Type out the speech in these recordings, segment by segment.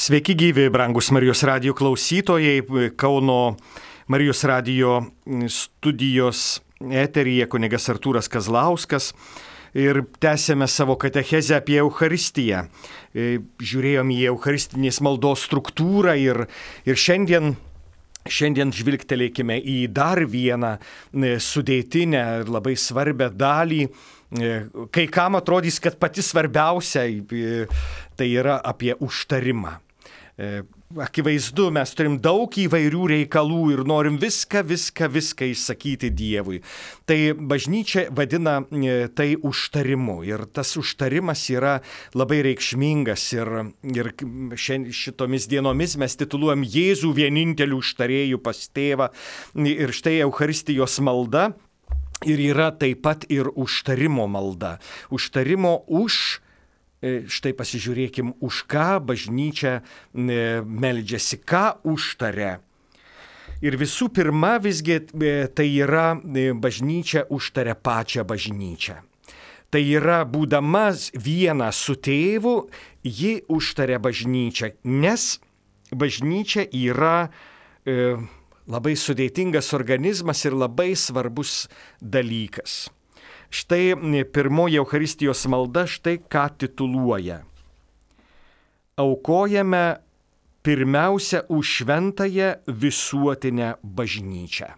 Sveiki gyvi, brangus Marijos radijo klausytojai. Kauno Marijos radijo studijos eteryje kunigas Artūras Kazlauskas. Ir tęsėme savo katechezę apie Eucharistiją. Žiūrėjom į Eucharistinės maldos struktūrą ir šiandien žvilgtelėkime į dar vieną sudėtinę ir labai svarbią dalį. Kai kam atrodys, kad pati svarbiausia tai yra apie užtarimą. Akivaizdu, mes turim daug įvairių reikalų ir norim viską išsakyti Dievui. Tai bažnyčia vadina tai užtarimu ir tas užtarimas yra labai reikšmingas ir šitomis dienomis mes tituluojam Jėzų vieninteliu užtarėju pas tėvą ir štai Eucharistijos malda ir yra taip pat ir užtarimo malda. Užtarimo už. Štai pasižiūrėkim, už ką bažnyčia meldžiasi, ką užtaria. Ir visų pirma, visgi tai yra bažnyčia užtaria pačią bažnyčią. Tai yra būdama viena su tėvu, ji užtaria bažnyčią, nes bažnyčia yra labai sudėtingas organizmas ir labai svarbus dalykas. Štai pirmoji Eucharistijos malda štai ką tituluoja. Aukojame pirmiausia už šventąją visuotinę bažnyčią.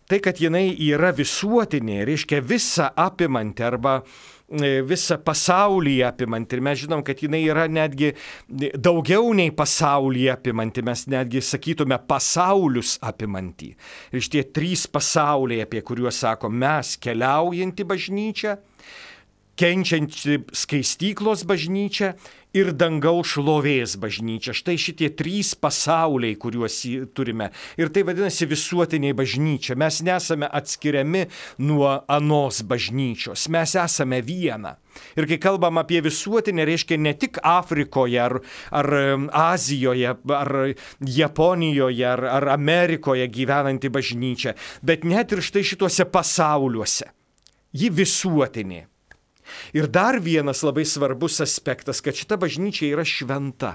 Tai, kad jinai yra visuotinė, reiškia visą apimanti arba visą pasaulį apimanti. Ir mes žinom, kad jinai yra netgi daugiau nei pasaulį apimanti. Mes netgi sakytume pasaulius apimanti. Ir šitie trys pasauliai, apie kuriuos sako mes, keliaujanti bažnyčia, kenčianti skaistyklos bažnyčia ir dangaus šlovės bažnyčia. Štai šitie trys pasauliai, kuriuos turime. Ir tai vadinasi visuotiniai bažnyčia. Mes nesame atskiriami nuo anos bažnyčios. Mes esame viena. Ir kai kalbam apie visuotinę, reiškia ne tik Afrikoje ar Azijoje, ar Japonijoje, ar Amerikoje gyvenanti bažnyčia, bet net ir štai šituose pasauliuose. Ji visuotinė. Ir dar vienas labai svarbus aspektas, kad šita bažnyčia yra šventa.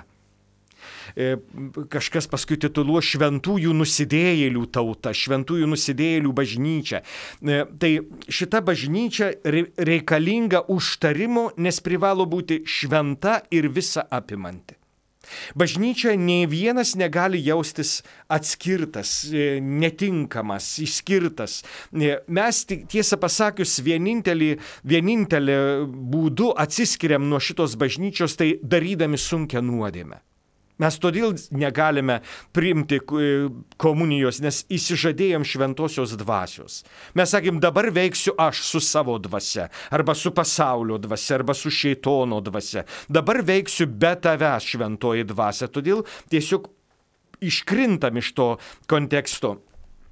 Kažkas paskui tituluo šventųjų nusidėjėlių tauta, šventųjų nusidėjėlių bažnyčia. Tai šita bažnyčia reikalinga užtarimo, nes privalo būti šventa ir visa apimanti. Bažnyčia nei vienas negali jaustis atskirtas, netinkamas, išskirtas. Mes tiesą pasakius vienintelį būdu atsiskiriam nuo šitos bažnyčios, tai darydami sunkią nuodėmę. Mes todėl negalime priimti komunijos, nes įsižadėjom šventosios dvasios. Mes sakėm, dabar veiksiu aš su savo dvasia, arba su pasaulio dvasia, arba su šėtono dvasia. Dabar veiksiu be tavęs šventoji dvasia. Todėl tiesiog iškrintam iš to konteksto.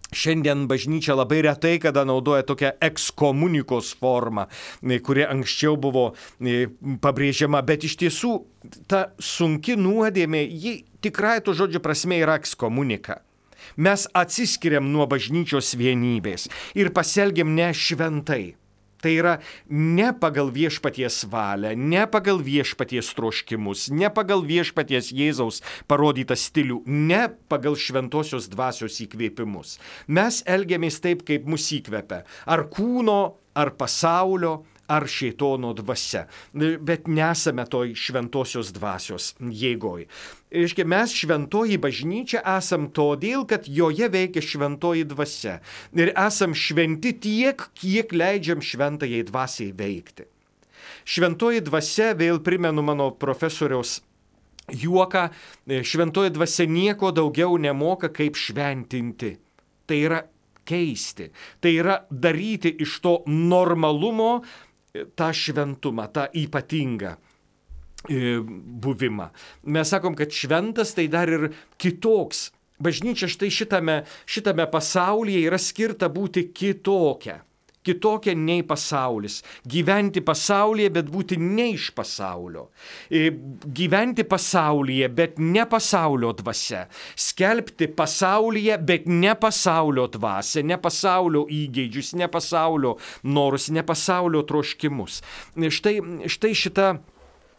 Šiandien bažnyčia labai retai kada naudoja tokią ekskomunikos formą, kuri anksčiau buvo pabrėžiama, bet iš tiesų ta sunki nuodėmė, ji tikrai to žodžio prasme yra ekskomunika. Mes atsiskiriam nuo bažnyčios vienybės ir pasielgiam nešventai. Tai yra ne pagal viešpaties valią, ne pagal viešpaties troškimus, ne pagal viešpaties Jėzaus parodytą stilių, ne pagal šventosios dvasios įkvėpimus. Mes elgiamės taip, kaip mus įkvepia. Ar kūno, ar pasaulio, ar šėtono dvasia. Bet nesame toj šventosios dvasios jėgoj. Reiškia, mes šventoji bažnyčia esam todėl, kad joje veikia šventoji dvasia. Ir esam šventi tiek, kiek leidžiam šventajai dvasiai veikti. Šventoji dvasia, vėl primenu mano profesoriaus juoką, šventoji dvasia nieko daugiau nemoka kaip šventinti. Tai yra keisti. Tai yra daryti iš to normalumo tą šventumą, tą ypatingą buvimą. Mes sakom, kad šventas tai dar ir kitoks. Bažnyčia štai šitame pasaulyje yra skirta būti kitokia. Kitokia nei pasaulis. Gyventi pasaulyje, bet būti ne iš pasaulio. Gyventi pasaulyje, bet ne pasaulio dvasia. Skelbti pasaulyje, bet ne pasaulio dvasia, ne pasaulio įgeidžius, ne pasaulio norus, ne pasaulio troškimus. Štai šita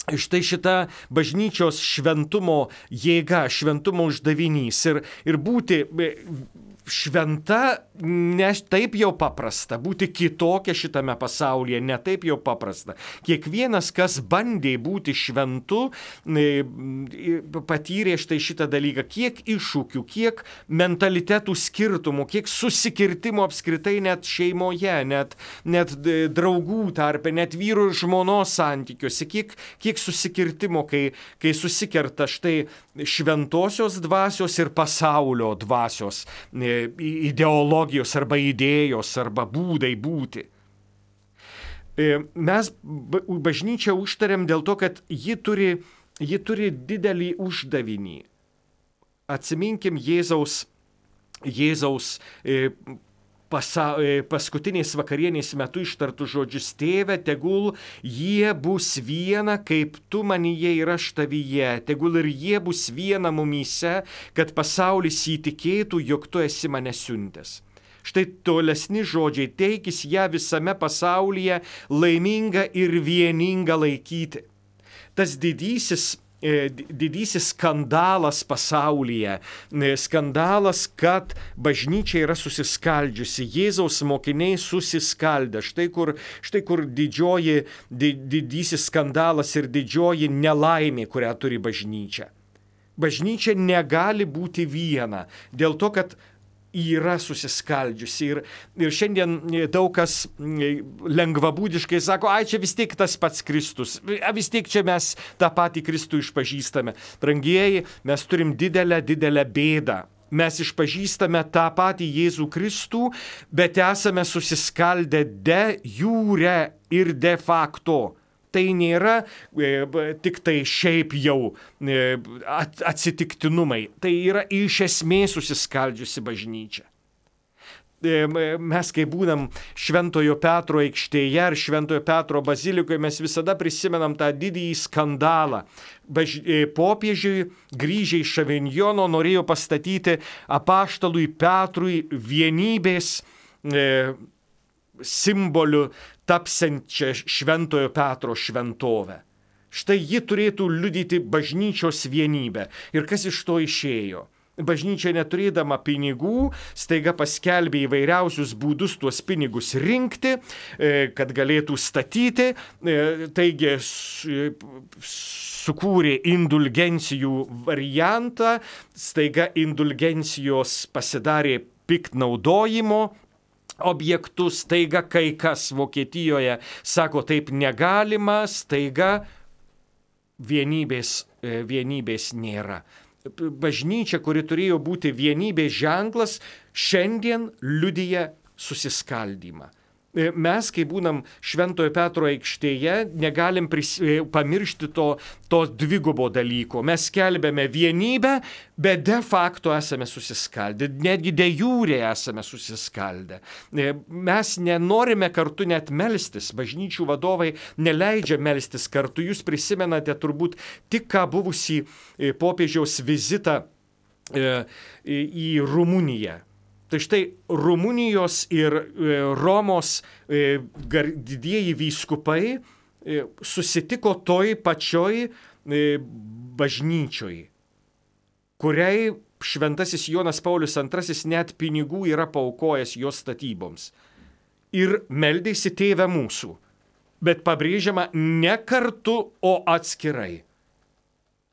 štai šita bažnyčios šventumo jėga, šventumo uždavinys ir būti šventa ne taip jau paprasta, būti kitokia šitame pasaulyje ne taip jau paprasta. Kiekvienas, kas bandė būti šventu, patyrė štai šitą dalyką, kiek iššūkių, kiek mentalitetų skirtumų, kiek susikirtimų apskritai net šeimoje, net draugų tarpe, net vyro ir žmonos santykiuose, kiek susikirtimo, kai susikerta štai šventosios dvasios ir pasaulio dvasios ideologijos arba idėjos arba būdai būti. Mes bažnyčią užtariam dėl to, kad ji turi didelį uždavinį. Atsiminkim Jėzaus paskutinės vakarienės metu ištartų žodžius: Tėve, tegul jie bus viena, kaip tu manyje ir aš tavyje, tegul ir jie bus viena mumyse, kad pasaulis įtikėtų, jog tu esi mane siuntęs. Štai tolesni žodžiai: teikis ją visame pasaulyje laimingą ir vieningą laikyti. Tas didysis skandalas pasaulyje, skandalas, kad bažnyčia yra susiskaldžiusi, Jėzaus mokiniai susiskaldę. Štai kur didysis skandalas ir didžioji nelaimė, kurią turi bažnyčia. Bažnyčia negali būti viena, dėl to, kad yra susiskaldžiusi. Ir šiandien daug kas lengvabūdiškai sako: ai, čia vis tiek tas pats Kristus, vis tiek čia mes tą patį Kristų išpažįstame. Brangieji, mes turim didelę bėdą. Mes išpažįstame tą patį Jėzų Kristų, bet esame susiskaldę de jure ir de facto. Tai nėra tik tai šiaip jau atsitiktinumai. Tai yra iš esmės susiskaldžiusi bažnyčia. Mes, kai būnam Šventojo Petro aikštėje ar Šventojo Petro bazilikoje, mes visada prisimenam tą didįjį skandalą. Popiežiui grįžę iš Avinjono norėjo pastatyti apaštalui Petrui vienybės simboliu tapsiančią Šventojo Petro šventovę. Štai ji turėtų liudyti bažnyčios vienybę. Ir kas iš to išėjo? Bažnyčia, neturėdama pinigų, staiga paskelbė įvairiausius būdus tuos pinigus rinkti, kad galėtų statyti. Taigi sukūrė indulgencijų variantą, staiga indulgencijos pasidarė piktnaudojimo objektus, staiga kai kas Vokietijoje sako, taip negalima, staiga vienybės nėra. Bažnyčia, kuri turėjo būti vienybės ženklas, šiandien liudija susiskaldymą. Mes, kai būnam Šventojo Petro aikštėje, negalim pamiršti to dvigubo dalyko. Mes skelbiame vienybę, bet de facto esame susiskaldę, netgi de jure esame susiskaldę. Mes nenorime kartu net melstis, bažnyčių vadovai neleidžia melstis kartu. Jūs prisimenate turbūt tik ką buvusį popiežiaus vizitą į Rumuniją. Tai štai Rumunijos ir Romos didieji vyskupai susitiko toj pačioj bažnyčioj, kuriai šventasis Jonas Paulius II net pinigų yra paaukojęs jos statyboms. Ir meldėsi Tėve mūsų, bet pabrėžiama ne kartu, o atskirai.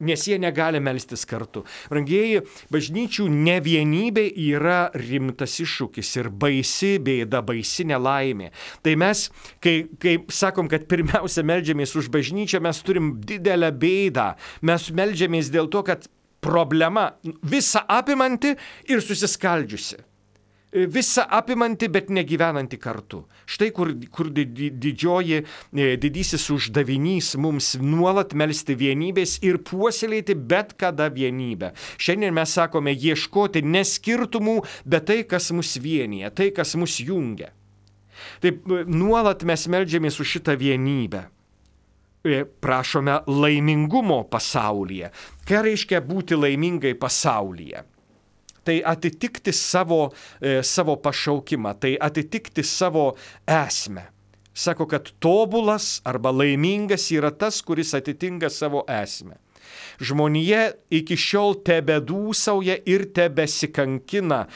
Nes jie negali melstis kartu. Brangieji, bažnyčių nevienybė yra rimtas iššūkis ir baisi bėda, baisi nelaimė. Tai mes, kai sakom, kad pirmiausia meldžiamės už bažnyčią, mes turim didelę bėdą. Mes meldžiamės dėl to, kad problema visa apimanti ir susiskaldžiusi. Visa apimanti, bet negyvenanti kartu. Štai kur didysis uždavinys mums nuolat melsti vienybės ir puoselėti bet kada vienybę. Šiandien mes sakome ieškoti ne skirtumų, bet tai, kas mus vienyje, tai, kas mus jungia. Taip, nuolat mes meldžiamės už šitą vienybę. Prašome laimingumo pasaulyje. Ką reiškia būti laimingai pasaulyje? Tai atitikti savo pašaukimą, tai atitikti savo esmę. Sako, kad tobulas arba laimingas yra tas, kuris atitinka savo esmę. Žmonija iki šiol tebedūsauja ir tebesikankina,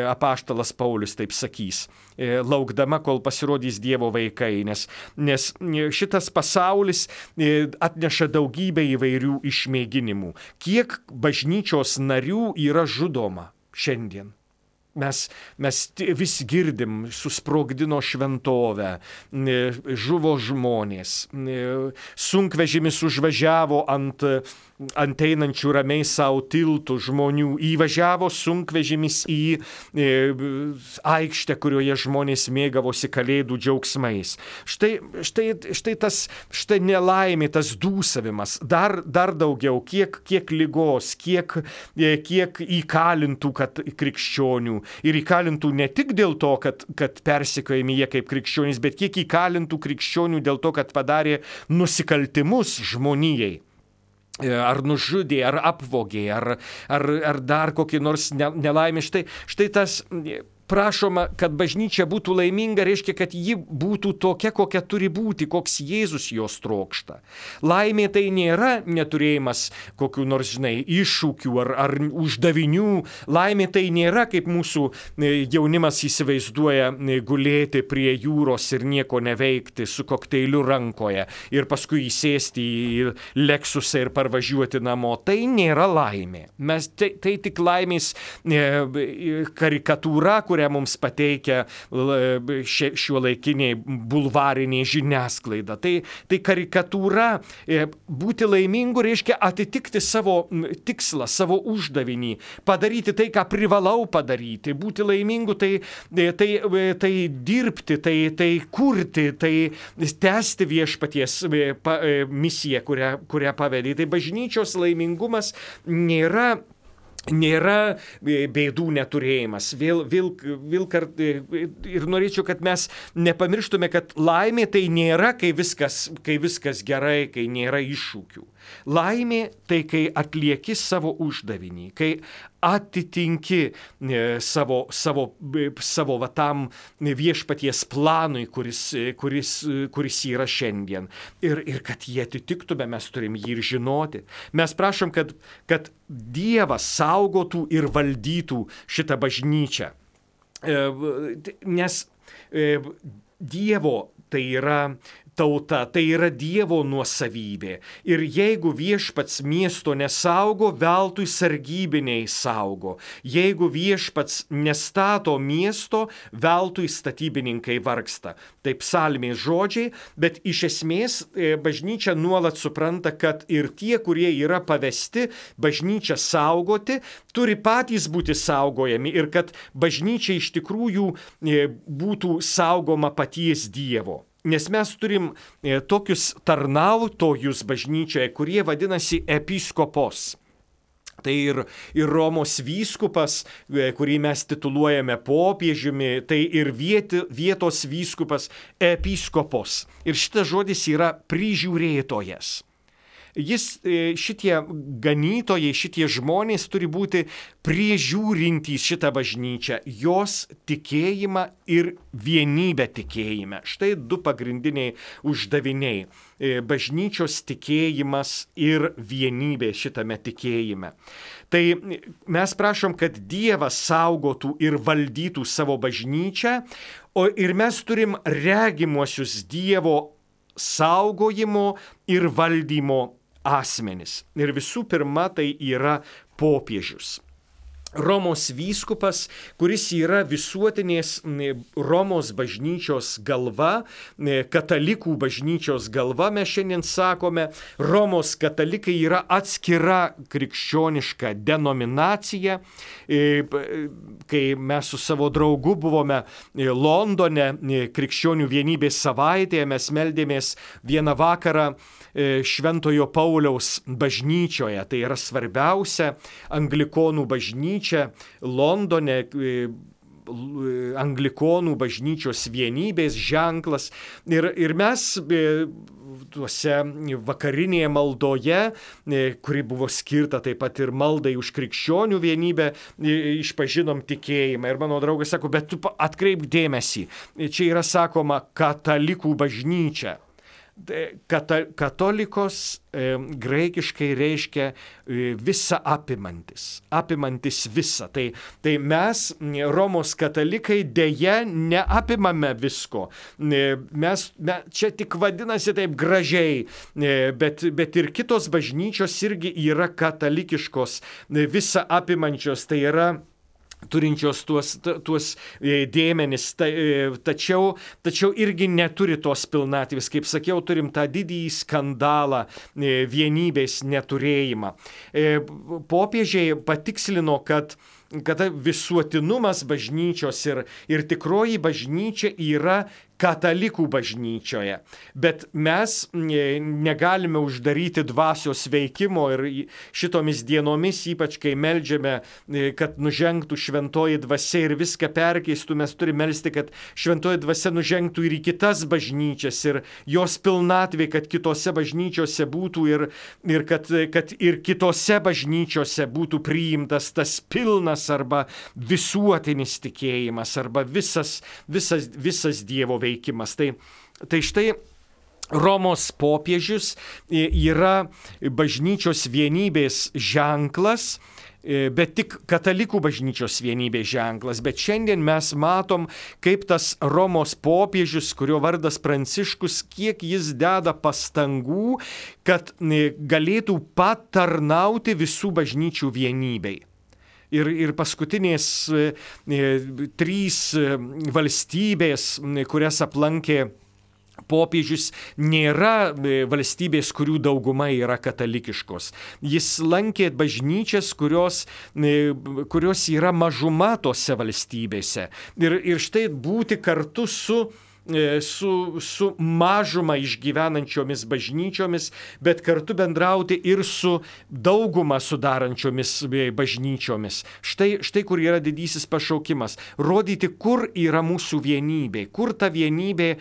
apaštalas Paulius taip sakys, laukdama, kol pasirodys Dievo vaikai, nes šitas pasaulis atneša daugybę įvairių išmėginimų. Kiek bažnyčios narių yra žudoma šiandien? Mes vis girdim, susprogdino šventovę, žuvo žmonės, sunkvežimis užvažiavo ant einančių ramiai savo tiltų žmonių, įvažiavo sunkvežimis į aikštę, kurioje žmonės mėgavosi kalėdų džiaugsmais. Štai nelaimė, tas dūsavimas, dar daugiau, kiek ligos, kiek įkalintų krikščionių. Ir įkalintų ne tik dėl to, kad persekiojami jie kaip krikščionys, bet kiek įkalintų krikščionių dėl to, kad padarė nusikaltimus žmonijai. Ar nužudė, ar apvogė, ar dar kokį nors nelaimę. Štai tas prašoma, kad bažnyčia būtų laiminga, reiškia, kad ji būtų tokia, kokia turi būti, koks Jėzus jos trokšta. Laimė tai nėra neturėjimas kokių nors, iššūkių ar uždavinių. Laimė tai nėra, kaip mūsų jaunimas įsivaizduoja, gulėti prie jūros ir nieko neveikti su kokteiliu rankoje ir paskui įsėsti į Lexusą ir parvažiuoti namo. Tai nėra laimė. Tai tik laimės karikatūra, kurią mums pateikia šiuolaikiniai bulvariniai žiniasklaida. Tai karikatūra. Būti laimingu reiškia atitikti savo tikslą, savo uždavinį, padaryti tai, ką privalau padaryti. Būti laimingu tai dirbti, tai kurti, tai tęsti viešpaties misiją, kurią pavedė. Tai bažnyčios laimingumas nėra bėdų neturėjimas. Ir norėčiau, kad mes nepamirštume, kad laimė tai nėra, kai viskas gerai, kai nėra iššūkių. Laimė tai, kai atlieki savo uždavinį, kai atitinki savo tam viešpaties planui, kuris yra šiandien. Ir kad jį atitiktume, mes turim jį ir žinoti. Mes prašom, kad Dievas saugotų ir valdytų šitą bažnyčią. Nes Dievo tai yra tauta, tai yra Dievo nuosavybė. Ir jeigu viešpats miesto nesaugo, veltui sargybiniai saugo. Jeigu viešpats nestato miesto, veltui statybininkai vargsta. Tai psalmės žodžiai, bet iš esmės bažnyčia nuolat supranta, kad ir tie, kurie yra pavesti bažnyčią saugoti, turi patys būti saugojami ir kad bažnyčia iš tikrųjų būtų saugoma paties Dievo. Nes mes turim tokius tarnautojus bažnyčioje, kurie vadinasi episkopos. Tai ir Romos vyskupas, kurį mes tituluojame popiežiumi, tai ir vietos vyskupas episkopos. Ir šitas žodis yra prižiūrėtojas. Šitie ganytojai, šitie žmonės turi būti priežiūrintys šitą bažnyčią, jos tikėjimą ir vienybę tikėjime. Štai du pagrindiniai uždaviniai - bažnyčios tikėjimas ir vienybė šitame tikėjime. Tai mes prašom, kad Dievas saugotų ir valdytų savo bažnyčią, ir mes turim regimuosius Dievo saugojimo ir valdymo asmenis. Ir visų pirma, tai yra popiežius. Romos vyskupas, kuris yra visuotinės Romos bažnyčios galva, katalikų bažnyčios galva, mes šiandien sakome, Romos katalikai yra atskira krikščioniška denominacija. Kai mes su savo draugu buvome Londone krikščionių vienybės savaitėje, mes meldėmės vieną vakarą Šventojo Pauliaus bažnyčioje. Tai yra svarbiausia anglikonų bažnyčia Londone, anglikonų bažnyčios vienybės ženklas. Ir mes tuose vakarinėje maldoje, kuri buvo skirta taip pat ir maldai už krikščionių vienybę, išpažinom tikėjimą. Ir mano draugas sako, bet tu atkreipk dėmesį, čia yra sakoma katalikų bažnyčia. Katolikos graikiškai reiškia visa apimantis visa. Tai mes, Romos katalikai, dėja neapimame visko. Mes čia tik vadinasi taip gražiai, bet ir kitos bažnyčios irgi yra katalikiškos, visa apimančios, tai yra turinčios tuos dėmenis, tačiau irgi neturi tos pilnatvės. Kaip sakiau, turim tą didįjį skandalą, vienybės neturėjimą. Popiežiai patikslino, kad visuotinumas bažnyčios ir tikroji bažnyčia yra katalikų bažnyčioje. Bet mes negalime uždaryti dvasios veikimo ir šitomis dienomis, ypač kai meldžiame, kad nužengtų šventoji dvasia ir viską perkeistų, mes turime melsti, kad šventoji dvasia nužengtų ir į kitas bažnyčias ir jos pilnatvė, kad kitose bažnyčiose būtų ir kad ir kitose bažnyčiose būtų priimtas tas pilnas arba visuotinis tikėjimas arba visas Dievo veikimas. Tai štai Romos popiežius yra bažnyčios vienybės ženklas, bet tik katalikų bažnyčios vienybės ženklas. Bet šiandien mes matom, kaip tas Romos popiežius, kurio vardas Pranciškus, kiek jis deda pastangų, kad galėtų patarnauti visų bažnyčių vienybei. Ir paskutinės 3 valstybės, kurias aplankė popiežius, nėra valstybės, kurių dauguma yra katalikiškos. Jis lankė bažnyčias, kurios yra mažuma tose valstybėse. Ir štai būti kartu su mažumą išgyvenančiomis bažnyčiomis, bet kartu bendrauti ir su daugumą sudarančiomis bažnyčiomis. Štai kur yra didysis pašaukimas. Rodyti, kur yra mūsų vienybė, kur ta vienybė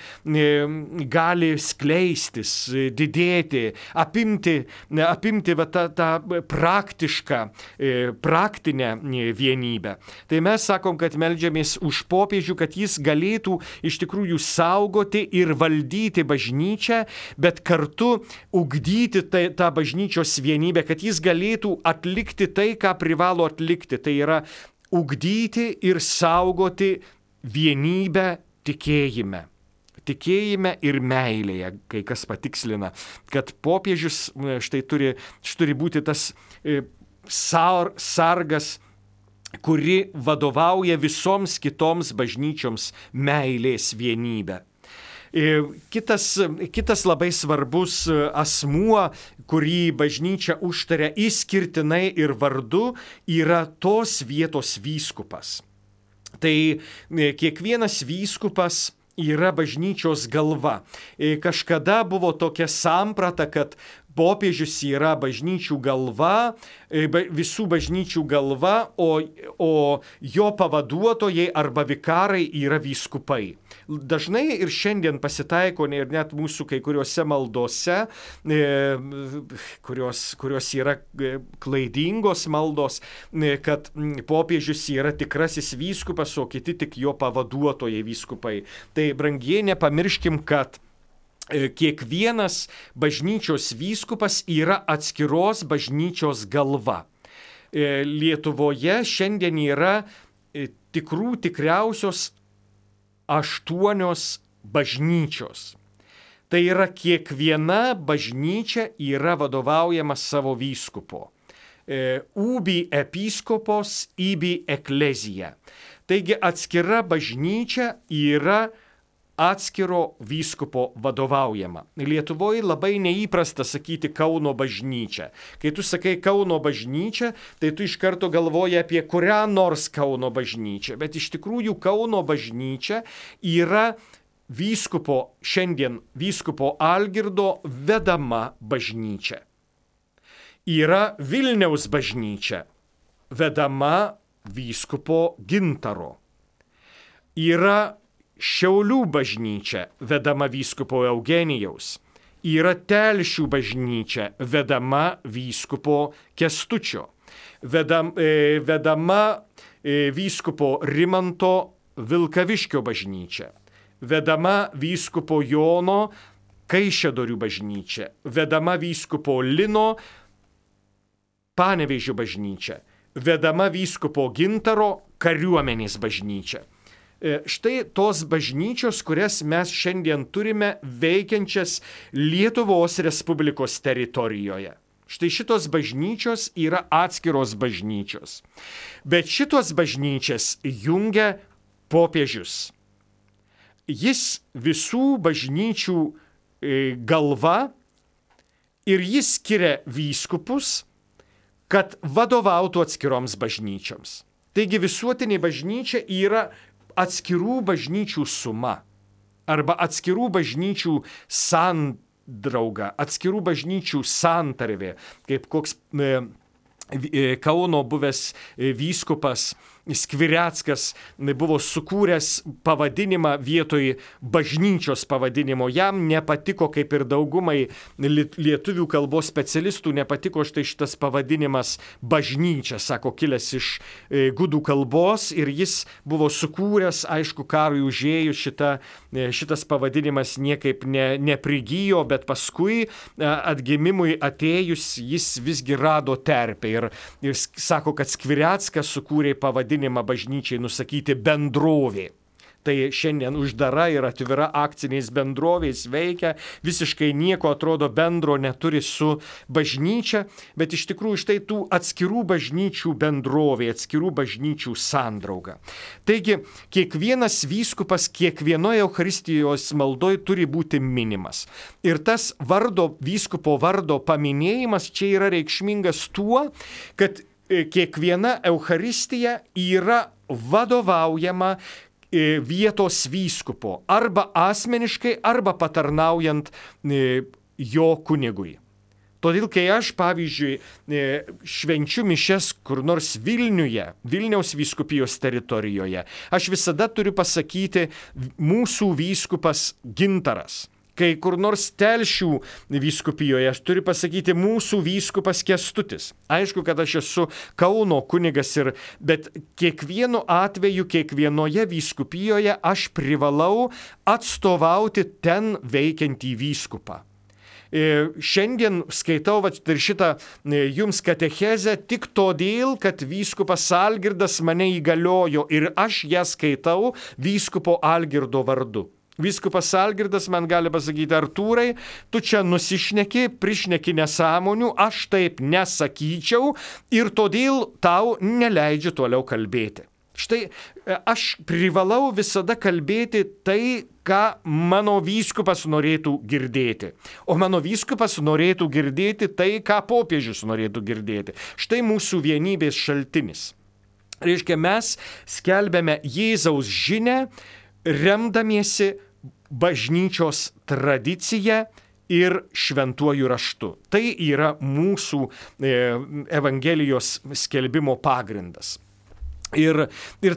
gali skleistis, didėti, apimti tą praktinę vienybę. Tai mes sakom, kad meldžiamės už popiežių, kad jis galėtų iš tikrųjų saugoti ir valdyti bažnyčią, bet kartu ugdyti tą bažnyčios vienybę, kad jis galėtų atlikti tai, ką privalo atlikti. Tai yra ugdyti ir saugoti vienybę tikėjime. Tikėjime ir meilėje, kai kas patikslina, kad popiežius štai turi būti tas sargas, kuri vadovauja visoms kitoms bažnyčioms meilės vienybę. Kitas labai svarbus asmuo, kurį bažnyčia užtaria išskirtinai ir vardu, yra tos vietos vyskupas. Tai kiekvienas vyskupas yra bažnyčios galva. Kažkada buvo tokia samprata, kad popiežius yra bažnyčių galva, visų bažnyčių galva, o jo pavaduotojai arba vikarai yra vyskupai. Dažnai ir šiandien pasitaiko, ir net mūsų kai kuriuose maldose, kurios yra klaidingos maldos, kad popiežius yra tikrasis vyskupas, o kiti tik jo pavaduotojai vyskupai. Tai brangiai nepamirškim, kad kiekvienas bažnyčios vyskupas yra atskiros bažnyčios galva. Lietuvoje šiandien yra tikriausios 8 bažnyčios. Tai yra kiekviena bažnyčia yra vadovaujama savo vyskupo. Ubi episkopos, ibi eklezija. Taigi atskira bažnyčia yra atskiro vyskupo vadovaujama. Lietuvoje labai neįprasta sakyti Kauno bažnyčia. Kai tu sakai Kauno bažnyčia, tai tu iš karto galvoji apie kurią nors Kauno bažnyčią. Bet iš tikrųjų Kauno bažnyčia yra šiandien vyskupo Algirdo vedama bažnyčia. Yra Vilniaus bažnyčia, vedama vyskupo Gintaro. Yra Šiaulių bažnyčia, vedama vyskupo Eugenijaus. yra Telšių bažnyčia, vedama vyskupo Kęstučio, vedama vyskupo Rimanto Vilkaviškio bažnyčia, vedama vyskupo Jono Kaišiadorių bažnyčia, vedama vyskupo Lino Panevėžio bažnyčia, vedama vyskupo Gintaro kariuomenės bažnyčia. Štai tos bažnyčios, kurias mes šiandien turime veikiančias Lietuvos Respublikos teritorijoje. Štai šitos bažnyčios yra atskiros bažnyčios. Bet šitos bažnyčias jungia popiežius. Jis visų bažnyčių galva ir jis skiria vyskupus, kad vadovautų atskiroms bažnyčioms. Taigi visuotinė bažnyčia yra atskirų bažnyčių suma arba atskirų bažnyčių sandrauga, atskirų bažnyčių santarvė, kaip koks Kauno buvęs vyskupas Skvireckas buvo sukūręs pavadinimą vietoj bažnyčios pavadinimo. Jam nepatiko, kaip ir daugumai lietuvių kalbos specialistų, nepatiko štai šitas pavadinimas bažnyčia, sako, kilęs iš gudų kalbos, ir jis buvo sukūręs, aišku, karui užėjus šitas pavadinimas niekaip neprigijo, bet paskui atgimimui atėjus jis visgi rado terpę ir sako, kad Skvireckas sukūrė pavadinimą bažnyčiai nusakyti bendrovė. Tai šiandien uždara ir atvira akcinės bendrovės veikia, visiškai nieko atrodo bendro neturi su bažnyčia, bet iš tikrųjų štai tų atskirų bažnyčių bendrovė, atskirų bažnyčių sandrauga. Taigi, kiekvienas vyskupas kiekvienoje Eucharistijos maldoje turi būti minimas. Ir tas vyskupo vardo paminėjimas čia yra reikšmingas tuo, kad kiekviena Eucharistija yra vadovaujama vietos vyskupo, arba asmeniškai, arba patarnaujant jo kunigui. Todėl, kai aš, pavyzdžiui, švenčiu mišias kur nors Vilniaus vyskupijos teritorijoje, aš visada turiu pasakyti mūsų vyskupas Gintaras. Kai kur nors Telšių vyskupijoje aš turiu pasakyti mūsų vyskupas Kęstutis. Aišku, kad aš esu Kauno kunigas, bet kiekvienu atveju, kiekvienoje vyskupijoje aš privalau atstovauti ten veikiantį vyskupą. Šiandien skaitau ir šitą jums katechezę tik todėl, kad vyskupas Algirdas mane įgaliojo ir aš ją skaitau vyskupo Algirdo vardu. Vyskupas Algirdas man gali pasakyti: Artūrai, tu čia nusišneki, prišneki nesąmonių, aš taip nesakyčiau ir todėl tau neleidžiu toliau kalbėti. Štai aš privalau visada kalbėti tai, ką mano vyskupas norėtų girdėti. O mano vyskupas norėtų girdėti tai, ką popiežius norėtų girdėti. Štai mūsų vienybės šaltinis. Reiškia, mes skelbiame Jėzaus žinią, remdamiesi bažnyčios tradicija ir šventuoju raštu. Tai yra mūsų Evangelijos skelbimo pagrindas. Ir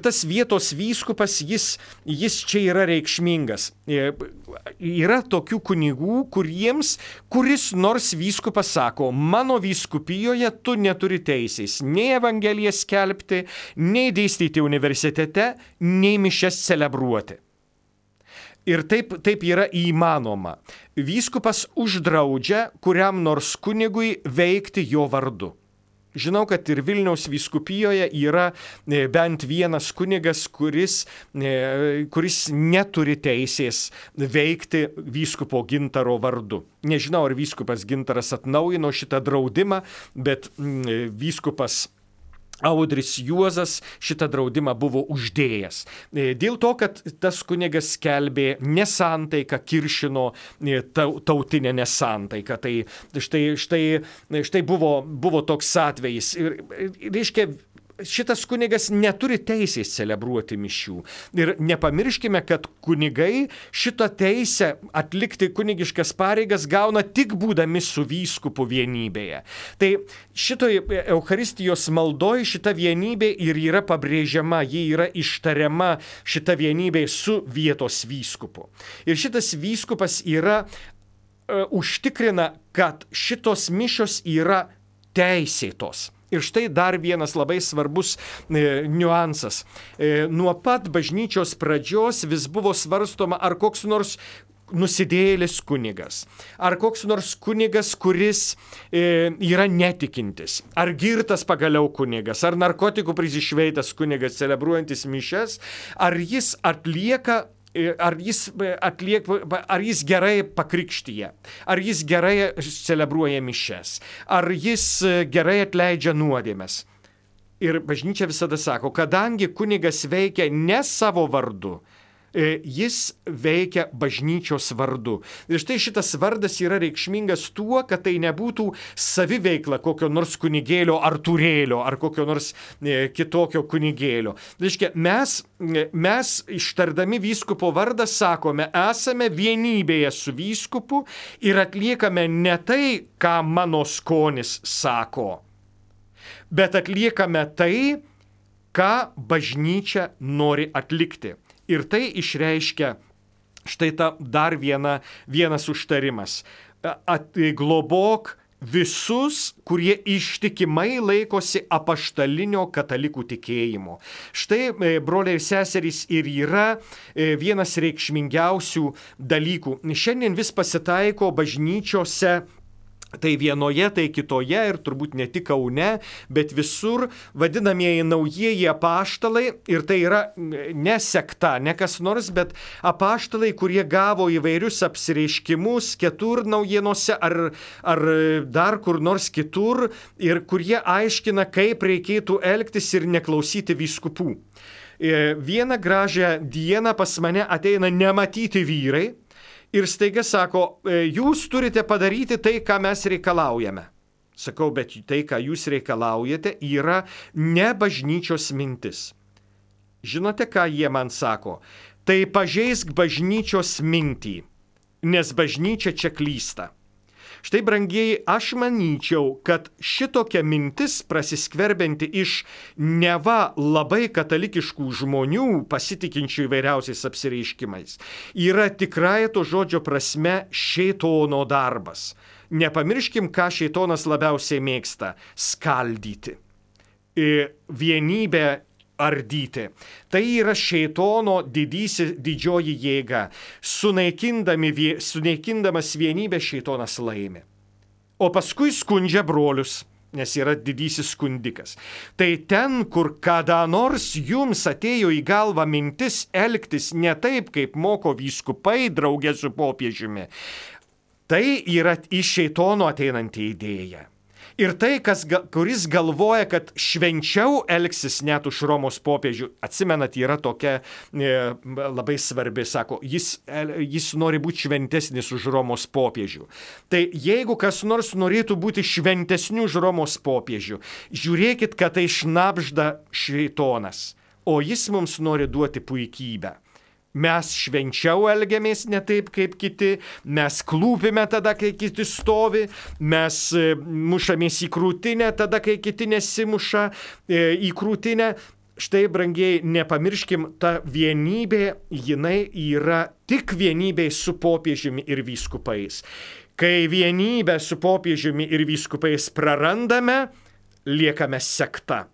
tas vietos vyskupas, jis čia yra reikšmingas. Yra tokių kunigų, kuris nors vyskupas sako: mano vyskupijoje tu neturi teisės nei Evangeliją skelbti, nei dėstyti universitete, nei mišias celebruoti. Ir taip yra įmanoma. Vyskupas uždraudžia kuriam nors kunigui veikti jo vardu. Žinau, kad ir Vilniaus vyskupijoje yra bent vienas kunigas, kuris neturi teisės veikti vyskupo Gintaro vardu. Nežinau, ar vyskupas Gintaras atnaujino šitą draudimą, bet vyskupas Audris Juozas šitą draudimą buvo uždėjęs. Dėl to, kad tas kunigas skelbė nesantaiką, kiršino tautinę nesantaiką. Tai štai buvo toks atvejis. Ir reiškia, šitas kunigas neturi teisės celebruoti mišių. Ir nepamirškime, kad kunigai šitą teisę atlikti kunigiškas pareigas gauna tik būdami su vyskupu vienybėje. Tai šitoj Eucharistijos maldoj šita vienybė ir yra pabrėžiama, ji yra ištariama šita vienybė su vietos vyskupu. Ir šitas vyskupas yra užtikrina, kad šitos mišios yra teisėtos. Ir štai dar vienas labai svarbus niuansas. Nuo pat bažnyčios pradžios vis buvo svarstoma, ar koks nors nusidėjėlis kunigas, ar koks nors kunigas, kuris yra netikintis, ar girtas pagaliau kunigas, ar narkotikų prisišveitęs kunigas celebruojantis mišias, ar jis gerai pakrikštyje, ar jis gerai celebruoja mišias, ar jis gerai atleidžia nuodėmes. Ir bažnyčia visada sako, kadangi kunigas veikia ne savo vardu, jis veikia bažnyčios vardu. Ir štai šitas vardas yra reikšmingas tuo, kad tai nebūtų saviveikla kokio nors kunigėlio ar turėlio, ar kokio nors kitokio kunigėlio. Reiškia, mes ištardami vyskupo vardą sakome, esame vienybėje su vyskupu ir atliekame ne tai, ką mano skonis sako, bet atliekame tai, ką bažnyčia nori atlikti. Ir tai išreiškia štai ta dar vienas užtarimas. Globok visus, kurie ištikimai laikosi apaštalinio katalikų tikėjimo. Štai, broliai ir seserys, ir yra vienas reikšmingiausių dalykų. Šiandien vis pasitaiko bažnyčiose, tai vienoje, tai kitoje ir turbūt ne tik Kaune, bet visur vadinamieji naujieji apaštalai, ir tai yra ne sekta, ne kas nors, bet apaštalai, kurie gavo įvairius apsireiškimus kitur naujienose ar dar kur nors kitur, ir kurie aiškina, kaip reikėtų elgtis ir neklausyti vyskupų. Vieną gražią dieną pas mane ateina nematyti vyrai, ir staiga sako, jūs turite padaryti tai, ką mes reikalaujame. Sakau, bet tai, ką jūs reikalaujate, yra ne bažnyčios mintis. Žinote, ką jie man sako? Tai pažeisk bažnyčios mintį, nes bažnyčia čia klysta. Štai, brangieji, aš manyčiau, kad šitokia mintis prasiskverbianti iš neva labai katalikiškų žmonių, pasitikinčių įvairiausiais apsireiškimais, yra tikrai to žodžio prasme šėtono darbas. Nepamirškim, ką šėtonas labiausiai mėgsta – skaldyti, vienybę ardyti. Tai yra šėtono didžioji jėga. Sunaikindamas vienybę šėtonas laimi. O paskui skundžia brolius, nes yra didysis skundikas. Tai ten, kur kada nors jums atėjo į galvą mintis elgtis ne taip, kaip moko vyskupai draugė su popiežiumi, tai yra iš šėtono ateinanti idėja. Ir tai, kuris galvoja, kad švenčiau elgsis net už Romos popiežių, atsimenat, yra tokia labai svarbi, sako, jis nori būti šventesnis už Romos popiežių. Tai jeigu kas nors norėtų būti šventesniu už Romos popiežių, žiūrėkit, kad tai šnabžda šėtonas, o jis mums nori duoti puikybę. Mes švenčiau elgiamės ne taip, kaip kiti, mes klūpime tada, kai kiti stovi, mes mušamės į krūtinę tada, kai kiti nesimuša į krūtinę. Štai, brangieji, nepamirškim, ta vienybė, jinai yra tik vienybė su popiežiumi ir vyskupais. Kai vienybę su popiežiumi ir vyskupais prarandame, liekame sekta.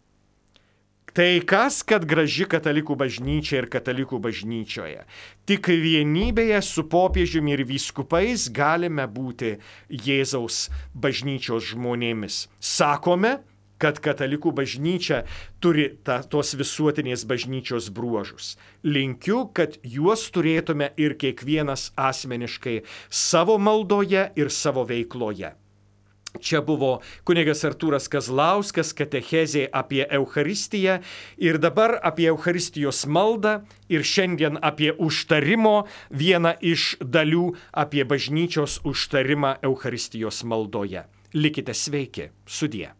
Tai kas, kad graži katalikų bažnyčia ir katalikų bažnyčioje? Tik vienybėje su popiežiumi ir vyskupais galime būti Jėzaus bažnyčios žmonėmis. Sakome, kad katalikų bažnyčia turi tos visuotinės bažnyčios bruožus. Linkiu, kad juos turėtume ir kiekvienas asmeniškai savo maldoje ir savo veikloje. Čia buvo kunigas Artūras Kazlauskas, katechezė apie Eucharistiją ir dabar apie Eucharistijos maldą ir šiandien apie užtarimo vieną iš dalių apie bažnyčios užtarimą Eucharistijos maldoje. Likite sveiki, sudie.